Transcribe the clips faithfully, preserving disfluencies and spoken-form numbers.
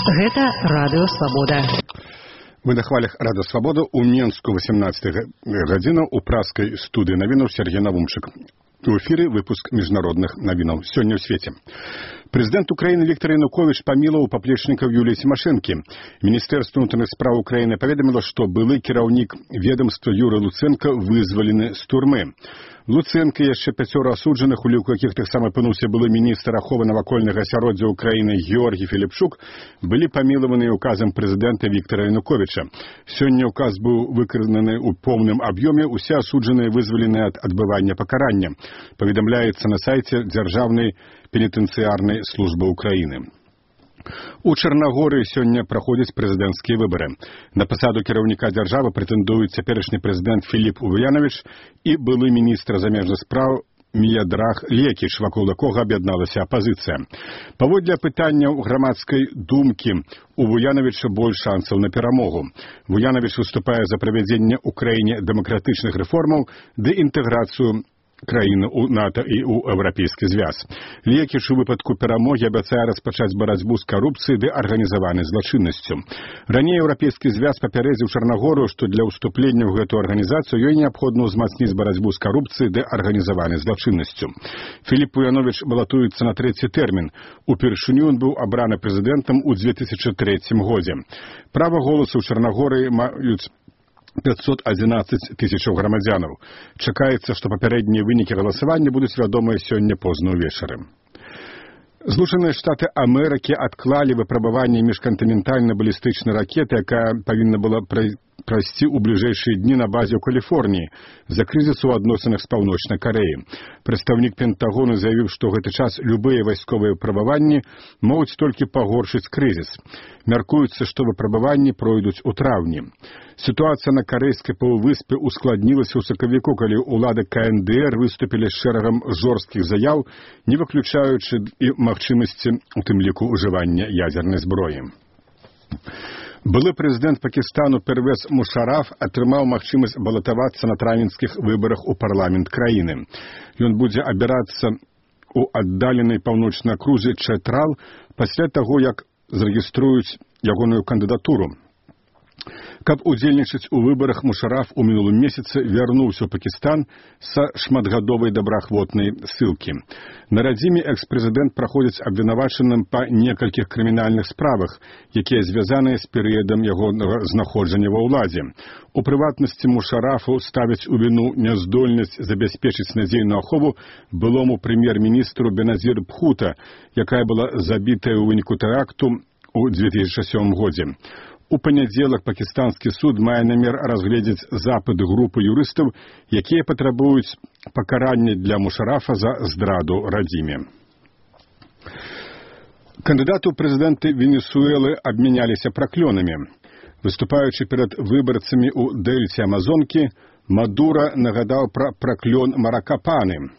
Гэта Радыё Свабода. Мы на хвалях Рада Свабода у Менску восемнадцатая гадзіна у праскай студыі навінаў Сергей Навумчык. У эфире выпуск международных новинов сегодня в свете. Президент Украины Виктор Янукович помиловал поплечников Юлии Тимошенко. Министерство внутренних справ Украины поведомило, что былый кераўнік ведомства Юрий Луценко вызволены с турмы. Луценко и еще пятеро осудженных, у якіх таксама апынуўся былы министр аховы навакольнага асяроддзя Украины Георгий Филипчук, были помилованы указом президента Виктора Януковича. Сегодня указ был выкананы у полном объеме, усе осудженные вызволены от отбывания покарания. Поведомляется на сайте Державной пенитенциарной службы Украины. У Чарнагорыі сёння праходзяць прэзідэнцкія выбары. На пасаду кіраўніка дзяржавы прэтэндуюць цяперашні прэзідэнт Філіп Ульянович і былы міністр замежных спраў Міядраг Лекіч, вакол якога аб'ядналася апазіцыя. Паводле апытанняў грамадскай думкі, у Вуяновича больш шансаў на перамогу. Вуянович выступае за правядзенне ў краіне дэмакратычных рэформаў ды інтэграцыю краіны у НАТО і ў Еўрапейскі звяз. Лекіч у выпадку перамогі абяцае распачаць барацьбу з карупцыяй ды арганізаванай злачыннасцю. Раней Еўрапейскі звяз папярэдзіў Чарнагорыю, што для ўступлення ў гэту арганізацыю ёй неабходна ўзмацніць барацьбу з карупцыяй ды арганізаванай злачыннасцю. Філіп Ульянович балатуецца на трэці тэрмін. Упершыню ён быў абраны прэзідэнтам у дзве тысячы трэцім годзе. Права голасу ў Чарнагорыі маюць пятьсот одиннадцать тысячаў грамадзянаў. Чакаецца, што папярэднія вынікі галасавання будуць вядомыя сёння позна ўвечары. Злучаныя Штаты Амерыкі адклалі выпрабаванне міжкантынентальна-балістычнай ракеты, якая павінна была прайсці ў бліжэйшыя дні на базе ў Каліфорніі з-за крызісу ў адносінах з Паўночнай Карэяй. Прадстаўнік Пентагону заявіў, што ў гэты час любыя вайсковыя выпрабаванні могуць толькі пагоршыць крызіс. Мяркуецца, што выпрабаванні пройдуць у траўні. Сітуацыя на карэйскай паўвыспе ускладнілася ў сакавіку, калі ўлады ка эн дэ эр выступілі з шэрагам жорсткіх заяў, не выключаючы і магчымасці, у тым ліку ўжывання ядзернай зброі. Былы прэзідэнт Пакістану Первез Мушараф атрымаў магчымасць балатавацца на травеньскіх выбарах у парламент краіны. Ён будзе абірацца ў аддаленай паўночнай акрузе Чэтрал пасля таго, як зарэгіструюць ягоную кандыдатуру. Каб удзельнічаць у выбарах, Мушараф у мінулым месяцы вярнуўся ў Пакістан са шматгадовай добраахвотнай ссылкі. На радзіме экс-прэзідэнт праходзіць абвінавачаным па некалькіх крымінальных справах, якія звязаныя з перыядам ягонага знаходжання ва ўладзе. У прыватнасці Мушарафу ставяць у віну няздольнасць забяспечыць надзейную ахову былому прэм'ер-міністру Беназір Бхута, якая была забітая ў выніку тэракту ў дзве тысячы сёмым годзе. У панядзелак пакістанскі суд мае намер разгледзець запыт групы юрыстаў, якія патрабуюць пакарання для Мушарафа за здраду радзіме. Кандыдаты ў прэзідэнты Венесуэлы абмяняліся праклёнамі. Выступаючы перад выбарцамі ў дэльце Амазонкі, Мадура нагадаў пра праклён Маракапаны.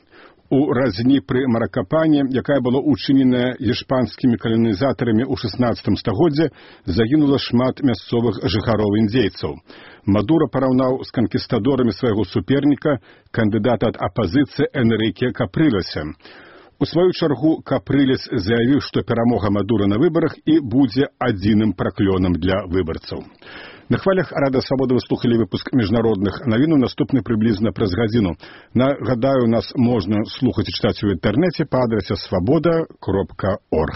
У разні пры Маракапане, якая была учыненая іспанскімі каланізатарамі ў шаснаццатым стагоддзе, загінула шмат мясцовых жыхароў індзейцаў. Мадура параўнаў з канкістадорамі свайго суперніка, кандыдата ад апазіцыі Энрыке Капрылеса. У сваю чаргу Капрылес заявіў, што перамога Мадура на выбарах і будзе адзіным праклёнам для выбарцаў. На хвалях Рада Свабода вы слухали выпуск міжнародных навінаў, наступны прыблізна праз гадзіну. Нагадаю, нас можна слухаць і чытаць у інтэрнэце па адрасе свабода кропка орг.